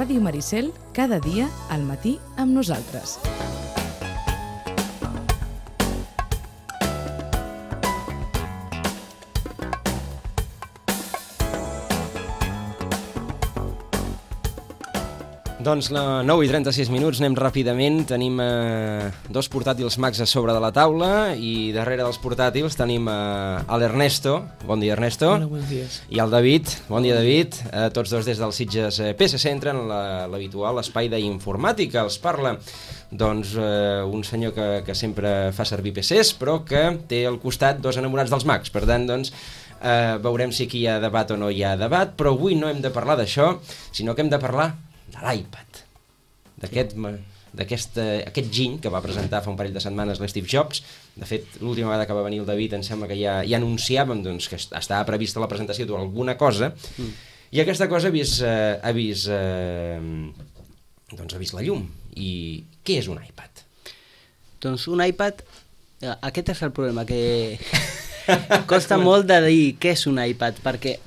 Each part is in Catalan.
Ràdio Maricel, cada dia al matí amb nosaltres. Doncs 9:36 anem ràpidament, tenim dos portàtils Macs a sobre de la taula i darrere dels portàtils tenim l'Ernesto, bon dia Ernesto. Hola, buenos días. I el David, bon dia David, tots dos des del Sitges PC Centre en l'habitual espai d'informàtica. Els parla doncs un senyor que sempre fa servir PCs però que té al costat dos enamorats dels Macs, per tant doncs veurem si aquí hi ha debat o no hi ha debat, però avui no hem de parlar d'això, sinó que hem de parlar de l'iPad, d'aquest giny que va presentar fa un parell de setmanes l'Steve Jobs. De fet, l'última vegada que va venir el David em sembla que ja anunciàvem doncs, que estava prevista la presentació d'alguna cosa, i aquesta cosa ha vist la llum. I què és un iPad? Doncs un iPad, aquest és el problema, que costa molt de dir què és un iPad, perquè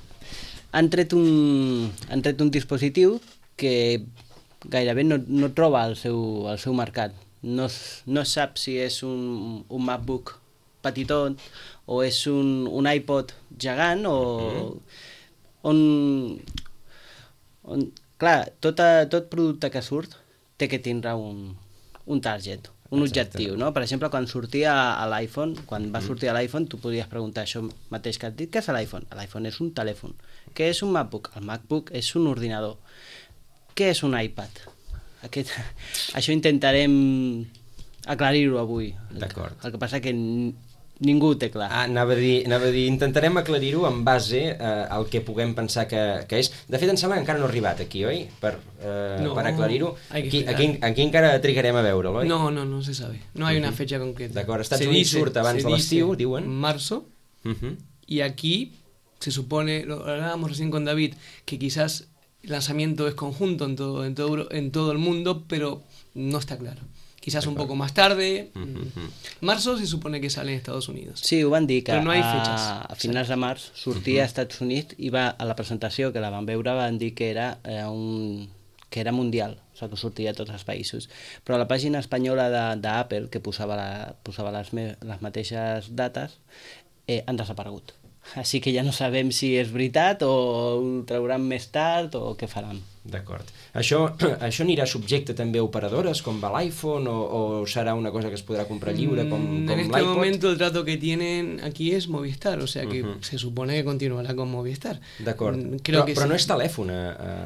han tret un dispositiu que gairebé no troba el seu mercat. No sap si és un MacBook petitot o és un iPod gegant clar, tot producte que surt té que tindre un target, un objectiu, no? Per exemple, quan sortia a l'iPhone, quan va sortir a l'iPhone, tu podries preguntar això mateix que has dit, què és l'iPhone? L'iPhone és un telèfon. Què és un MacBook? El MacBook és un ordinador. Què és un iPad? Això intentarem aclarir-ho avui. D'acord. El que passa que ningú ho té clar. Anava a dir, intentarem aclarir-ho en base al que puguem pensar que és. De fet, em sembla que encara no ha arribat aquí, oi? Per aclarir-ho. Aquí encara trigarem a veure-lo, oi? No se sabe. No hay una fecha concreta. D'acord, Estats Units surt abans de l'estiu, diuen. Marzo, y aquí se supone, lo hablábamos recién con David, que quizás el lanzamiento es conjunto en todo el mundo, pero no está claro. Quizás un poco más tarde. Marzo se supone que sale en Estados Unidos. Sí, ho van dir que no a finals de març sortia a Estats Units i a la presentació que la van veure van dir que era mundial, o sigui que sortia a tots els països. Però a la pàgina espanyola d'Apple, que posava les mateixes dates, han desaparegut. Així que ja no sabem si és veritat o ho trauran més tard o què faran. D'acord. Això anirà subjecte també a operadores com va l'iPhone o serà una cosa que es podrà comprar lliure com l'iPod? En este momento el trato que tienen aquí es Movistar, o sea que se supone que continuará con Movistar. D'acord. Però no és telèfon.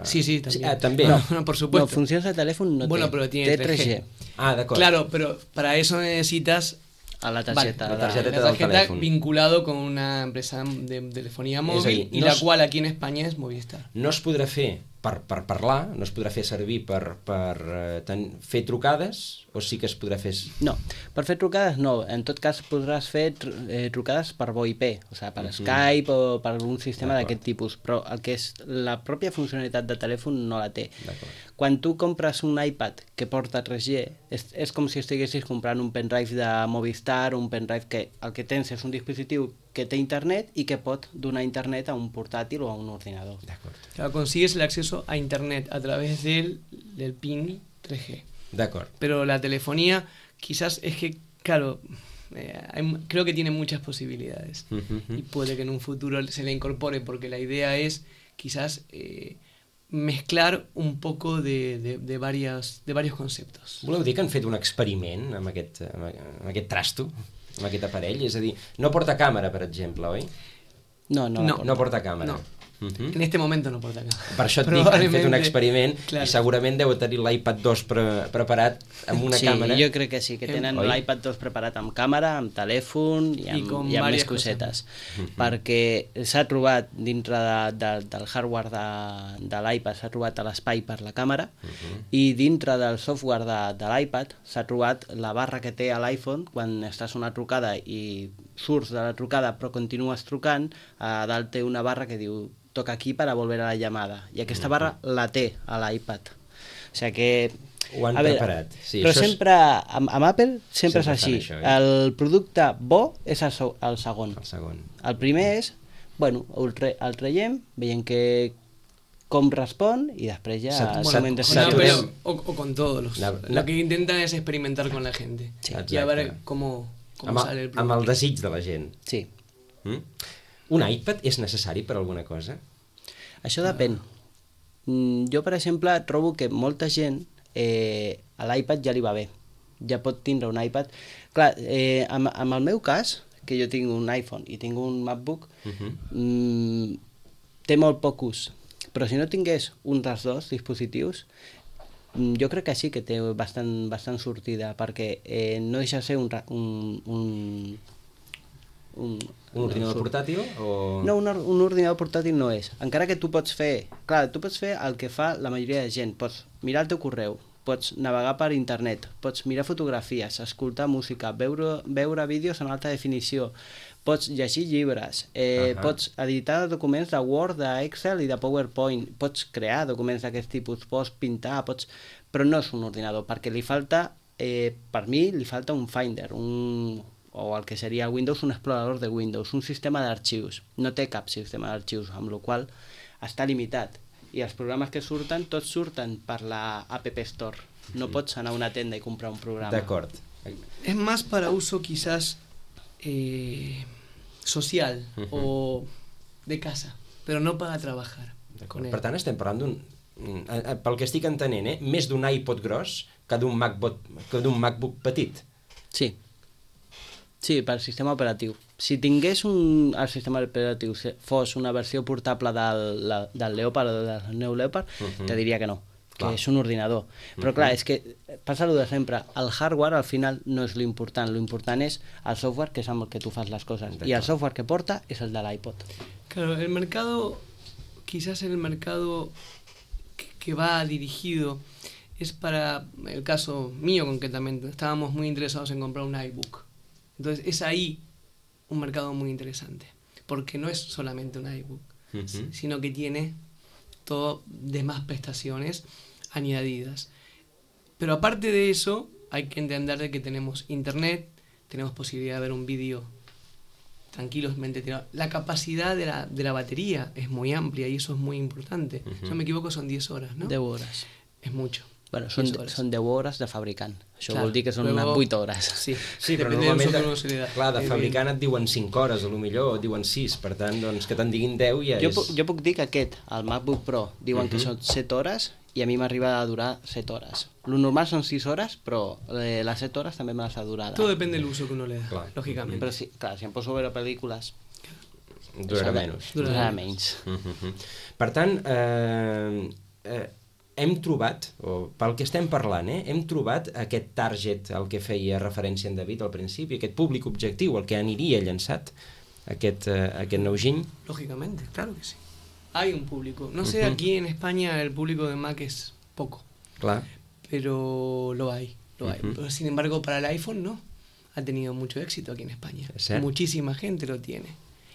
Sí, también. També. No, por supuesto. No, funcions de telèfon no té. Bueno, pero tiene 3G. D'acord. Claro, pero para eso necesitas a la tarjeta, la tarjeta vinculado con una empresa de telefonía móvil y la cual aquí en España es Movistar. No es podrà fer per parlar, no es podrà fer servir per fer trucades o sí que es podrà fer... No, per fer trucades no, en tot cas podràs fer trucades per VoIP, o sigui, per Skype o per algun sistema d'aquest tipus, però el que és la pròpia funcionalitat de telèfon no la té. Quan tu compres un iPad que porta 3G, és com si estiguessis comprant un pendrive de Movistar, un pendrive que el que tens és un dispositiu que té internet y que pot donar internet a un portátil o a un ordenador. Claro, consigues el acceso a internet a través del PIN 3G. De acuerdo. Pero la telefonía quizás es que, claro, creo que tiene muchas posibilidades y puede que en un futuro se le incorpore, porque la idea es quizás mezclar un poco de varios conceptos. Voleu dir que han fet un experiment amb aquest trasto? Amb aquest aparell, és a dir, no porta càmera, per exemple, oi? No porta càmera. No. En este momento no porta càmera. Per això et dic, han fet un experiment i segurament deu tenir l'iPad 2 preparat amb una càmera. Sí, jo crec que sí, que tenen l'iPad 2 preparat amb càmera, amb telèfon i amb més cosetes. Perquè s'ha trobat dintre del hardware de l'iPad, s'ha trobat l'espai per la càmera i dintre del software de l'iPad s'ha trobat la barra que té a l'iPhone quan estàs a una trucada i surts de la trucada però continues trucant, a dalt té una barra que diu toca aquí para volver a la llamada. I aquesta barra la té a l'iPad. O sigui que... Ho han preparat. Sí, però sempre, amb Apple, sempre és així. El producte bo és el segon. El segon. El primer és, bueno, el traiem, veiem que com respon y després ya o con todos lo que intentan es experimentar con la gente y a ver cómo sale el producte amb el desig de la gent. Sí. Un iPad és necessari per alguna cosa? Això depèn. Jo, per exemple, trobo que molta gent a l'iPad ja li va bé. Ja pot tindre un iPad. Clar, amb el meu cas, que jo tinc un iPhone i tinc un MacBook, té molt poc ús. Però si no tingués un dels dos dispositius, jo crec que sí que té bastant sortida, perquè no deixa de ser un ordinador portàtil? O... No, un ordinador portàtil no és. Encara que tu pots fer... Clar, tu pots fer el que fa la majoria de gent. Pots mirar el teu correu, pots navegar per internet, pots mirar fotografies, escoltar música, veure vídeos en alta definició, pots llegir llibres, pots editar documents de Word, d'Excel i de PowerPoint, pots crear documents d'aquest tipus, pots pintar, però no és un ordinador, perquè li falta, per mi, li falta un Finder, o el que seria Windows, un explorador de Windows, un sistema d'arxius. No té cap sistema d'arxius, amb la qual cosa està limitat. I els programes que surten, tots surten per la App Store. No pots anar a una tenda i comprar un programa. D'acord. Es más para uso quizás social o de casa, però no para trabajar. Per tant, estem parlant d'un, pel que estic entenent, més d'un iPod gros que d'un MacBook petit. Sí. Sí, pel sistema operatiu. Si tingués el sistema operatiu fos una versió portable del Leopard o del Neo Leopard, te diria que no, que és un ordinador. Però clar, és que passa el de sempre. El hardware al final no és l'important. L'important és el software, que és amb el que tu fas les coses. I el software que porta és el de l'iPod. Claro, el mercado, quizás el mercado que va dirigido es para el caso mío concretamente. Estábamos muy interesados en comprar un iBook. Entonces es ahí un mercado muy interesante, porque no es solamente un iBook, sino que tiene todo demás prestaciones añadidas. Pero aparte de eso, hay que entender de que tenemos internet, tenemos posibilidad de ver un vídeo tranquilamente tirado. La capacidad de la batería es muy amplia y eso es muy importante. Si no me equivoco son 10 horas, ¿no? 10 horas. Es mucho. Bueno, són 10 hores de fabricant. Això vol dir que són unes 8 hores. Sí, però normalment, clar, de fabricant et diuen 5 hores, a lo millor, o diuen 6, per tant, doncs, que te'n diguin 10 ja és... Jo puc dir que aquest, el MacBook Pro, diuen que són 7 hores i a mi m'arriba a durar 7 hores. Lo normal són 6 hores, però les 7 hores també me les ha durat. Todo depende del uso que uno le da, lógicamente. Però sí, clar, si em poso a veure pel·lícules... Durarà menys. Durarà menys. Per tant, hem trobat, o pel que estem parlant, hem trobat aquest target al que feia referència en David al principi, aquest públic objectiu, el que aniria llançat aquest nou giny. Lógicamente, claro que sí. Hay un público. No sé, aquí en España el público de Mac es poco. Claro. Pero lo hay. Pero, sin embargo, para el iPhone no. Ha tenido mucho éxito aquí en España. Muchísima gente lo tiene.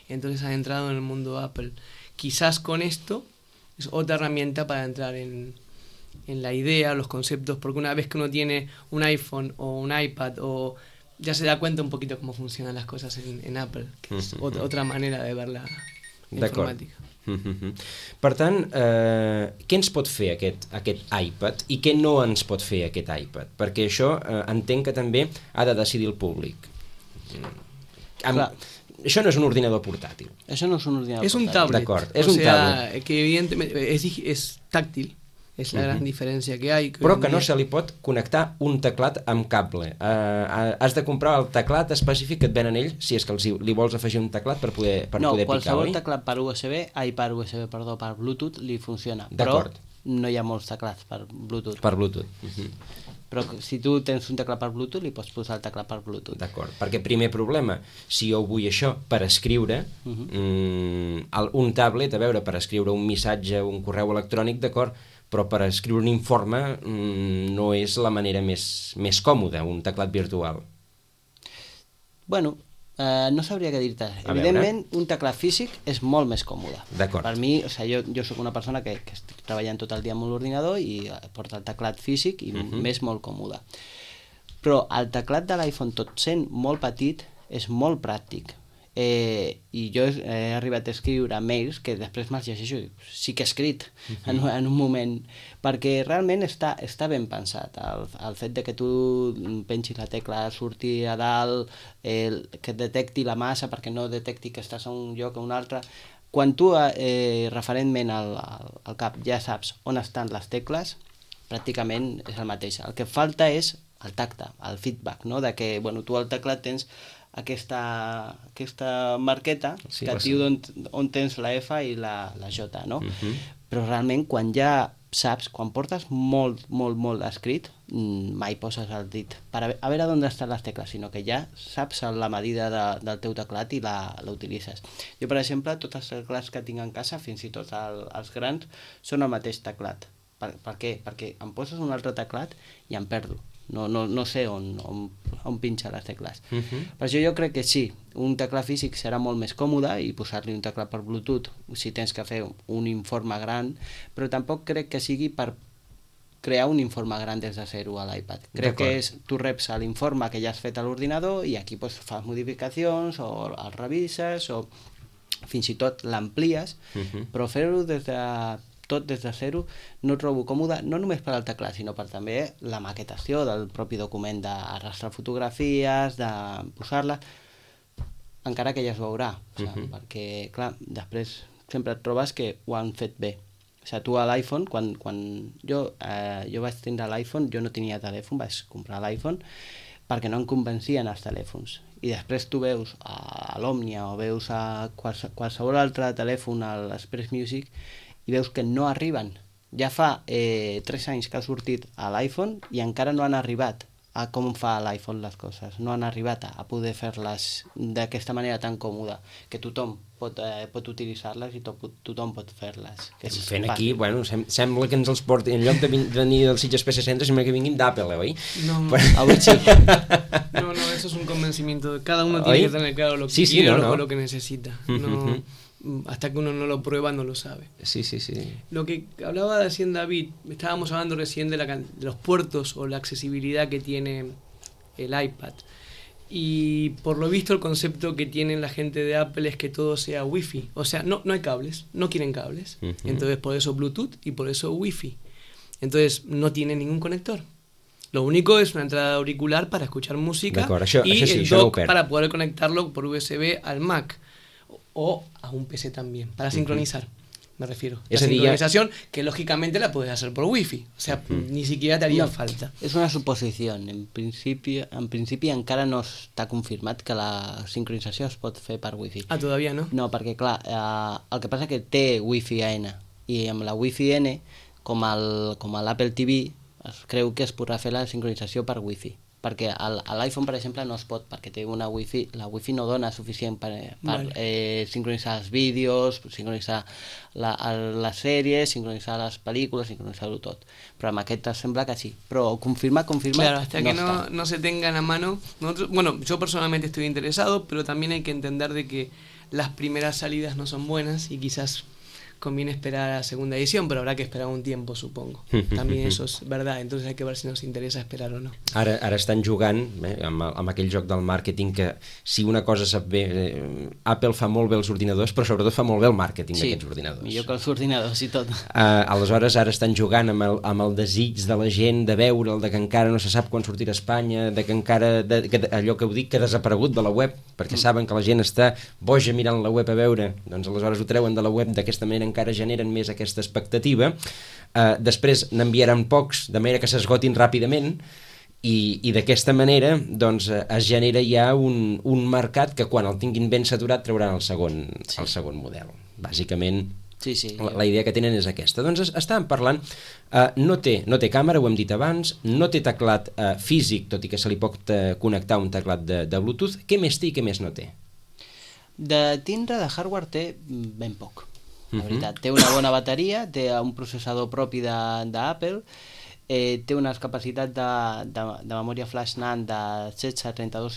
Entonces ha entrado en el mundo Apple. Quizás con esto es otra herramienta para entrar en la idea, los conceptos, porque una vez que uno tiene un iPhone o un iPad, o ya se da cuenta un poquito cómo funcionan las cosas en Apple, que es otra manera de ver la informàtica. Per tant, què ens pot fer aquest iPad i què no ens pot fer aquest iPad? Perquè això entenc que també ha de decidir el públic. Això no és un ordinador portàtil. Això no és un ordinador portàtil. És un tablet. D'acord, és un tablet. Que evidentemente es táctil. És la gran diferència que hi ha. Però que no se li pot connectar un teclat amb cable. Has de comprar el teclat específic que et venen ells, si és que li vols afegir un teclat per poder picar, oi? No, qualsevol teclat per Bluetooth li funciona. Però no hi ha molts teclats per Bluetooth. Per Bluetooth. Però si tu tens un teclat per Bluetooth, li pots posar el teclat per Bluetooth. D'acord, perquè primer problema, si jo vull això per escriure, un tablet, a veure, per escriure un missatge, un correu electrònic, d'acord, però per escriure un informe no és la manera més còmoda, un teclat virtual. Bueno, no sabria què dir-te. Evidentment, un teclat físic és molt més còmode. D'acord. Per mi, jo soc una persona que estic treballant tot el dia amb l'ordinador i porta el teclat físic i m'és molt còmode. Però el teclat de l'iPhone, tot sent molt petit, és molt pràctic. i jo he arribat a escriure mails que després me'ls llegeixo i sí que he escrit en un moment, perquè realment està ben pensat el fet de que tu pensis la tecla, surti a dalt, que detecti la massa perquè no detecti que estàs a un lloc o un altre. Quan tu referentment al cap ja saps on estan les tecles, pràcticament és el mateix. El que falta és el tacte, el feedback, no? De que tu al teclat tens aquesta marqueta que et diu on tens la F i la J, no? Però realment quan ja saps, quan portes molt escrit, mai poses el dit per a veure on estan les tecles, sinó que ja saps la medida del teu teclat i la utilitzes. Jo, per exemple, tots els teclats que tinc en casa, fins i tot els grans, són el mateix teclat. Per què? Perquè em poses un altre teclat i em perdo. No sé on pinxa les tecles. Per això jo crec que sí, un teclat físic serà molt més còmode i posar-li un teclat per Bluetooth si tens que fer un informe gran, però tampoc crec que sigui per crear un informe gran des de zero a l'iPad. Crec que tu reps l'informe que ja has fet a l'ordinador i aquí fas modificacions o el revises o fins i tot l'amplies, però fer-ho des de zero no trobo còmode, no només per al teclat, sinó per també la maquetació del propi document, d'arrastrar fotografies, de posar-les, encara que ja es veurà, perquè, clar, després sempre et trobes que ho han fet bé. O sigui, tu a l'iPhone, quan jo vaig tindre l'iPhone, jo no tenia telèfon, vaig comprar l'iPhone, perquè no em convencien els telèfons. I després tu veus a l'Òmnia o veus a qualsevol altre telèfon, a l'Express Music, i veus que no arriben. Ja fa 3 anys que ha sortit a l'iPhone i encara no han arribat a com fa l'iPhone les coses. No han arribat a poder fer-les d'aquesta manera tan còmoda, que tothom pot utilitzar-les i tothom pot fer-les. Fent aquí, bueno, sembla que ens els porti, en lloc de venir del Sitges PC Centre, sembla que vinguin d'Apple, oi? No, avui sí. No, eso es un convencimiento. Cada uno tiene que tener claro lo que quiere o lo que necesita. Hasta que uno no lo prueba no lo sabe. Sí. Lo que hablaba recién David, estábamos hablando recién de los puertos o la accesibilidad que tiene el iPad. Y por lo visto el concepto que tienen la gente de Apple es que todo sea Wi-Fi. O sea, no hay cables, no quieren cables. Entonces por eso Bluetooth y por eso Wi-Fi. Entonces no tiene ningún conector. Lo único es una entrada auricular para escuchar música y el dock para poder conectarlo por USB al Mac. O a un PC también, para sincronizar, me refiero. La sincronización, que lógicamente la puedes hacer por Wi-Fi, o sea, ni siquiera te haría falta. És una suposició. En principi encara no està confirmat que la sincronització es pot fer per Wi-Fi. Ah, todavía no? No, perquè clar, el que passa que té Wi-Fi N, i amb la Wi-Fi N, com l'Apple TV, es creu que es podrà fer la sincronització per Wi-Fi. Perquè a l'iPhone, per exemple, no es pot, perquè té una Wi-Fi, la Wi-Fi no dona suficient per sincronitzar els vídeos, sincronitzar les sèries, sincronitzar les pel·lícules, sincronitzar-ho tot. Però amb aquest sembla que sí. Però confirmat, claro, hasta que no se tengan a mano. Bueno, yo personalmente estoy interesado, pero también hay que entender de que las primeras salidas no son buenas y quizás conviene esperar a la segunda edición, pero habrá que esperar un tiempo, supongo. También eso es verdad, entonces hay que ver si nos interesa esperar o no. Ara estan jugant amb aquell joc del màrqueting que si una cosa sap bé, Apple fa molt bé els ordinadors, però sobretot fa molt bé el màrqueting d'aquests ordinadors. Sí, millor que els ordinadors i tot. Aleshores ara estan jugant amb el desig de la gent de veure'l, de que encara no se sap quan sortirà a Espanya, de que encara, allò que ho dic, que ha desaparegut de la web, perquè saben que la gent està boja mirant la web a veure, doncs aleshores ho treuen de la web d'aquesta manera, encara generen més aquesta expectativa. Després n'enviaran pocs, de manera que s'esgotin ràpidament, i d'aquesta manera doncs, es genera ja un mercat que quan el tinguin ben saturat trauran el segon model. Bàsicament, la idea que tenen és aquesta. Doncs estàvem parlant, no té càmera, ho hem dit abans, no té teclat físic, tot i que se li pot connectar un teclat de Bluetooth. Què més té i què més no té? De tindre de hardware té ben poc. La veritat, té una bona bateria, té un processador propi d'Apple, té unes capacitats de memòria flash NAND de 16, 32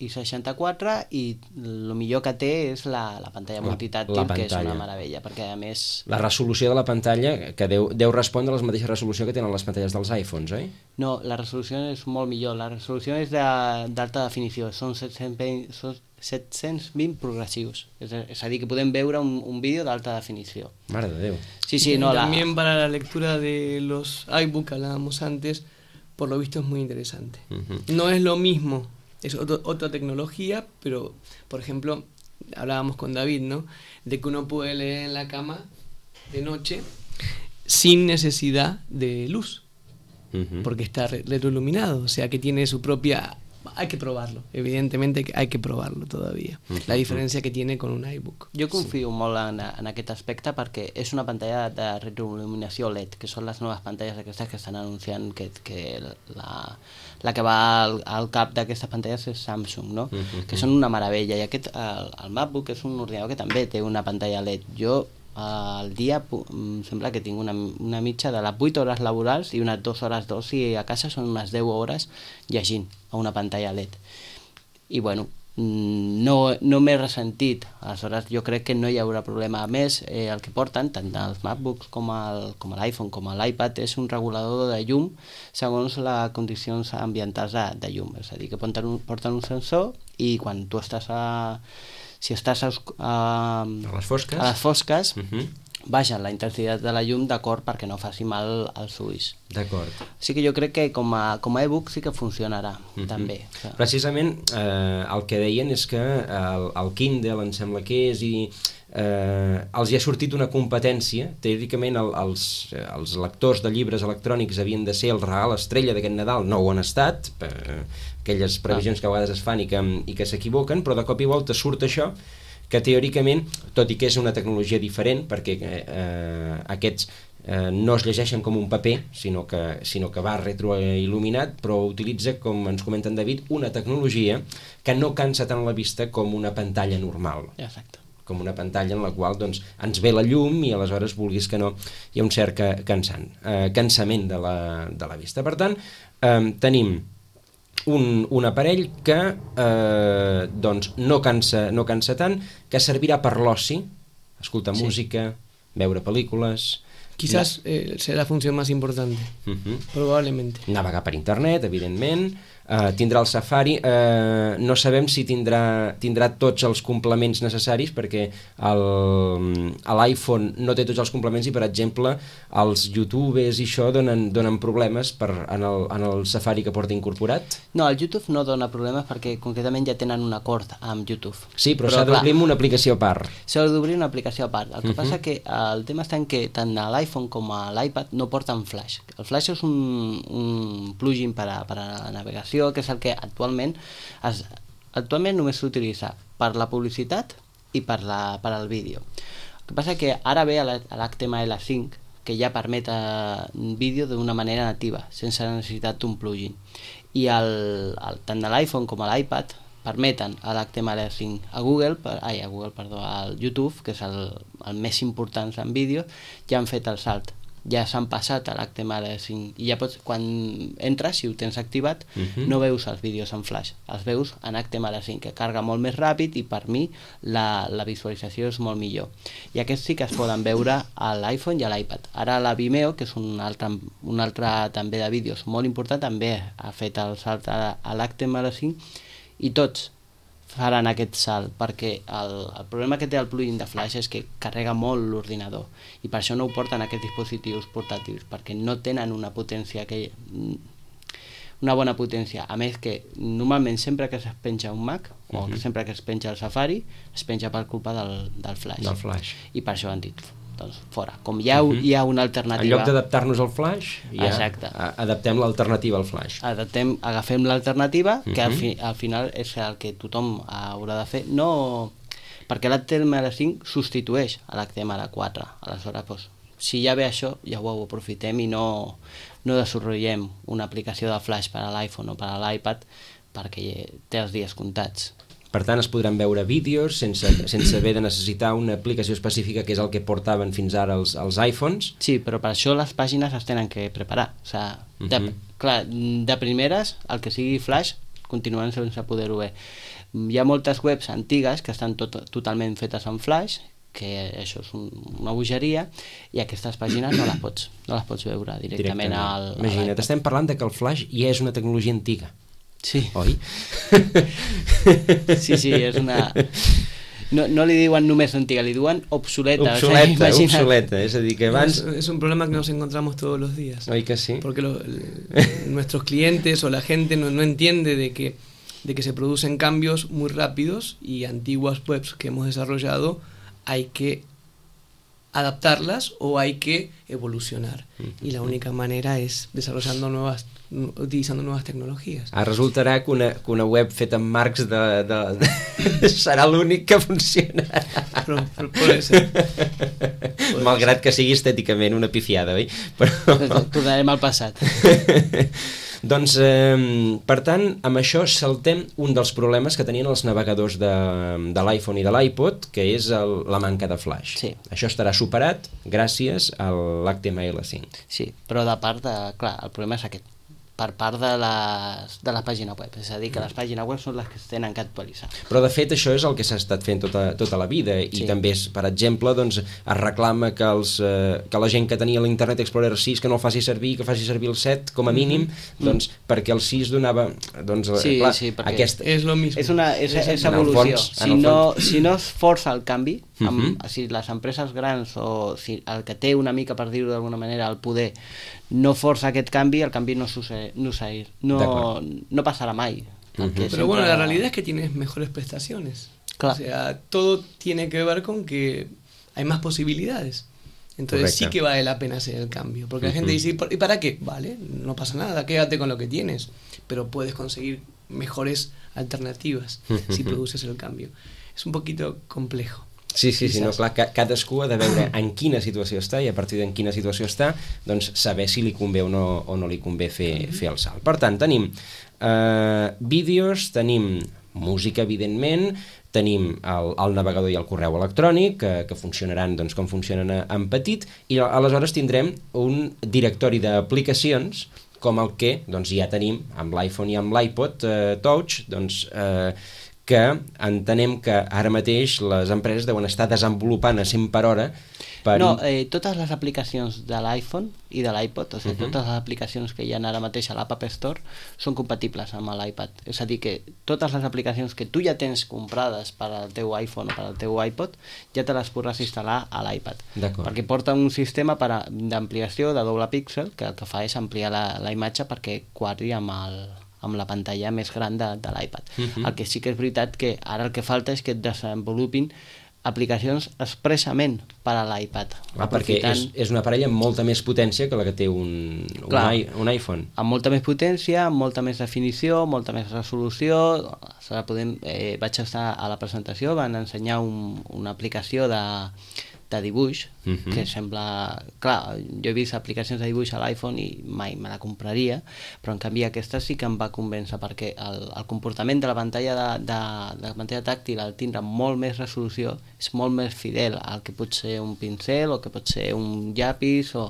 i 64 i el millor que té és la pantalla multitàctil, que és una meravella, perquè a més... La resolució de la pantalla, que deu respondre a la mateixa resolució que tenen les pantalles dels iPhones, oi? No, la resolució és molt millor, la resolució és d'alta definició, són 720 720 progressius. És a dir, que podem veure un vídeo d'alta definició. Mare de Déu. Sí, no, también para la lectura de los iBooks que hablábamos antes, por lo visto es muy interesante. No es lo mismo, es otra tecnología, pero, por ejemplo, hablábamos con David, ¿no? De que uno puede leer en la cama de noche sin necesidad de luz, porque está retroiluminado, o sea que tiene su propia... Hay que provarlo, evidentemente hay que provarlo todavía, la diferència que tiene con un iBook. Jo confio molt en aquest aspecte perquè és una pantalla de retroiluminació LED, que són les noves pantalles aquestes que estan anunciant que la que va al cap d'aquestes pantalles és Samsung, no? Que són una meravella, i el MacBook és un ordinador que també té una pantalla LED. Jo al dia sembla que tinc una mitja de les 8 hores laborals i unes 2 hores d'oci a casa, són unes 10 hores llegint a una pantalla LED. I bueno, no m'he ressentit, aleshores jo crec que no hi haurà problema. A més, el que porten tant els MacBooks com l'iPhone com l'iPad és un regulador de llum segons les condicions ambientals de llum, és a dir, que porten un sensor i quan tu estàs si estàs a les fosques baixa la intensitat de la llum d'acord perquè no faci mal als ulls. D'acord. Sí que jo crec que com a e-book sí que funcionarà també. Precisament el que deien és que el Kindle, em sembla que és, i els hi ha sortit una competència. Teòricament els lectors de llibres electrònics havien de ser el regal estrella d'aquest Nadal, no ho han estat, aquelles previsions que a vegades es fan i que s'equivoquen, però de cop i volta surt això, que teòricament, tot i que és una tecnologia diferent, perquè aquests no es llegeixen com un paper, sinó que va retroil·luminat, però utilitza, com ens comenta en David, una tecnologia que no cansa tant la vista com una pantalla normal. Exacte. Com una pantalla en la qual doncs, ens ve la llum i aleshores, vulguis que no, hi ha un cert cansament de la vista. Per tant, tenim un aparell que doncs no cansa tant, que servirà per l'oci, escoltar música, veure pel·lícules... Quizás será la función más importante, probablemente. Navegar per internet, evidentment, tindrà el Safari, no sabem si tindrà tots els complements necessaris, perquè l'iPhone no té tots els complements i, per exemple, els youtubers i això donen problemes en el Safari que porta incorporat? No, el YouTube no dona problemes perquè concretament ja tenen un acord amb YouTube. Sí, però s'ha d'obrir una aplicació a part. S'ha d'obrir una aplicació a part. El que passa que el tema està en que tant a l'iPhone com a l'iPad no porten Flash. El Flash és un plugin per a la navegació, que és el que actualment només s'utilitza per la publicitat i per al vídeo. El que passa que ara ve l'HTML5, que ja permet vídeo d'una manera nativa, sense necessitat d'un plugin. I tant a l'iPhone com a l'iPad permeten l'HTML5 al YouTube, que és el més important en vídeo, ja han fet el salt. Ja s'han passat a l'HTML5 i ja pots, quan entres, si ho tens activat, no veus els vídeos en Flash, els veus en HTML5, que carga molt més ràpid i per mi la visualització és molt millor. I aquests sí que es poden veure a l'iPhone i a l'iPad. Ara la Vimeo, que és un altre també de vídeos molt important, també ha fet el salt a l'HTML5 i tots faran aquest salt, perquè el problema que té el plugin de Flash és que carrega molt l'ordinador i per això no ho porten aquests dispositius portàtils, perquè no tenen una bona potència. A més que normalment sempre que es penja un Mac o sempre que es penja el Safari es penja per culpa del Flash. I per això han dit doncs fora. Com hi ha una alternativa... En lloc d'adaptar-nos al Flash, adaptem l'alternativa al Flash. Agafem l'alternativa, que al final és el que tothom haurà de fer. No, perquè l'HTML5 substitueix a l'HTML4. Aleshores, si ja ve això, ja ho aprofitem i no desenvolupem una aplicació de Flash per a l'iPhone o per a l'iPad perquè té els dies comptats. Per tant, es podran veure vídeos sense haver de necessitar una aplicació específica, que és el que portaven fins ara els iPhones. Sí, però per això les pàgines es tenen que preparar. O sigui, clar, de primeres, el que sigui Flash, continuen sense poder-ho ver. Hi ha moltes webs antigues que estan totalment fetes en Flash, que això és una bogeria, i aquestes pàgines no les pots veure directament al... Imagina't, estem parlant de que el Flash ja és una tecnologia antiga. Sí. Oi? Sí, és una... No li diuen només antiga, li diuen obsoleta. Obsoleta, es decir, que abans... Es un problema que nos encontramos todos los días. Oi que sí? Porque nuestros clientes o la gente no entiende de que se producen cambios muy rápidos y antiguas webs que hemos desarrollado hay que adaptarlas o hay que evolucionar. Y la única manera es utilizando nuevas tecnologies. Resultarà que una web feta amb marcs serà l'únic que funcionarà. Però pot ser. Malgrat que sigui estèticament una pifiada, oi? Tornarem al passat. Doncs, per tant, amb això saltem un dels problemes que tenien els navegadors de l'iPhone i de l'iPod, que és la manca de flash. Sí. Això estarà superat gràcies a l'HTML5. Sí, però de part de... Clar, el problema és aquest. Per part de la pàgina web, és a dir, que les pàgines web són les que es tenen que actualitzar. Però de fet això és el que s'ha estat fent tota la vida i també, per exemple, doncs, es reclama que la gent que tenia l'Internet Explorer 6 que no el faci servir, que faci servir el 7 com a mínim, doncs, perquè el 6 donava... Doncs, clar, és lo mismo. És evolució. Si no es força el canvi, si les empreses grans o si el que té una mica, per dir-ho d'alguna manera, el poder no força aquest canvi, el canvi no pasará mai. Pero bueno, la realidad es que tienes mejores prestaciones. Claro. O sea, todo tiene que ver con que hay más posibilidades. Entonces sí que vale la pena hacer el cambio. Porque la gente dice, ¿y para qué? Vale, no pasa nada, quédate con lo que tienes. Pero puedes conseguir mejores alternativas si produces el cambio. Es un poquito complejo. Sí, no, clar, cadascú ha de veure en quina situació està i a partir d'en quina situació està, doncs saber si li convé o no li convé fer el salt. Per tant, tenim vídeos, tenim música, evidentment, tenim el navegador i el correu electrònic, que funcionaran doncs, com funcionen en petit, i aleshores tindrem un directori d'aplicacions com el que doncs, ja tenim amb l'iPhone i amb l'iPod Touch, doncs... que entenem que ara mateix les empreses deuen estar desenvolupant a 100 per hora totes les aplicacions de l'iPhone i de l'iPod, o sigui, totes les aplicacions que hi ha ara mateix a l'App Store són compatibles amb l'iPad, és a dir que totes les aplicacions que tu ja tens comprades per al teu iPhone o per al teu iPod ja te les podràs instal·lar a l'iPad, perquè porta un sistema d'ampliació de doble píxel que el que fa és ampliar la imatge perquè quadri amb la pantalla més gran de l'iPad. El que sí que és veritat que ara el que falta és que et desenvolupin aplicacions expressament per a l'iPad. Perquè és un aparell amb molta més potència que la que té un iPhone. Amb molta més potència, amb molta més definició, molta més resolució. Vaig estar a la presentació, van ensenyar una aplicació de dibuix, que sembla... Clar, jo he vist aplicacions de dibuix a l'iPhone i mai me la compraria, però en canvi aquesta sí que em va convèncer perquè el comportament de la pantalla de la pantalla tàctil, al tindre molt més resolució, és molt més fidel al que pot ser un pincel o que pot ser un llapis o...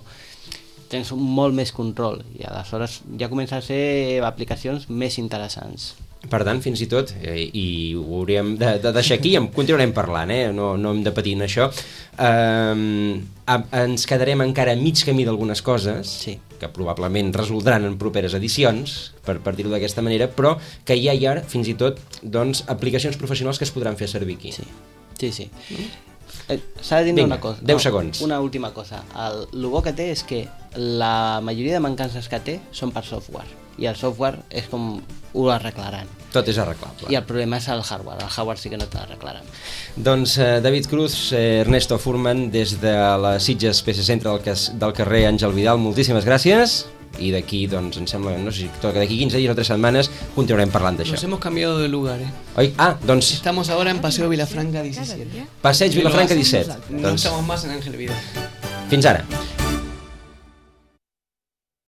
Tens molt més control i aleshores ja comença a ser aplicacions més interessants. Per tant, fins i tot, i ho hauríem de deixar aquí, en continuarem parlant, no hem de patir en això, ens quedarem encara a mig camí d'algunes coses, que probablement resoldran en properes edicions, per dir-ho d'aquesta manera, però que ja hi ha fins i tot aplicacions professionals que es podran fer servir aquí. Sí. S'ha de dir una cosa. 10 segons. Una última cosa. El bo que té és que la majoria de mancances que té són per software. I el software és com ho arreglaran. Tot és arreglable. I el problema és el hardware. El hardware sí que no t'arreglaran. Doncs David Cruz, Ernesto Furman, des de la Sitges PC Centre del carrer Àngel Vidal, moltíssimes gràcies. Y de aquí, doncs, em sembla, no sé si toca d'aquí 15 dies o 3 setmanes continuarem parlant d'això. Nos hemos cambiado de lugar, doncs... Estamos ahora en Paseo Vilafranca 17. Passeig Vilafranca 17. No estamos más en Ángel Vidal. Fins ara.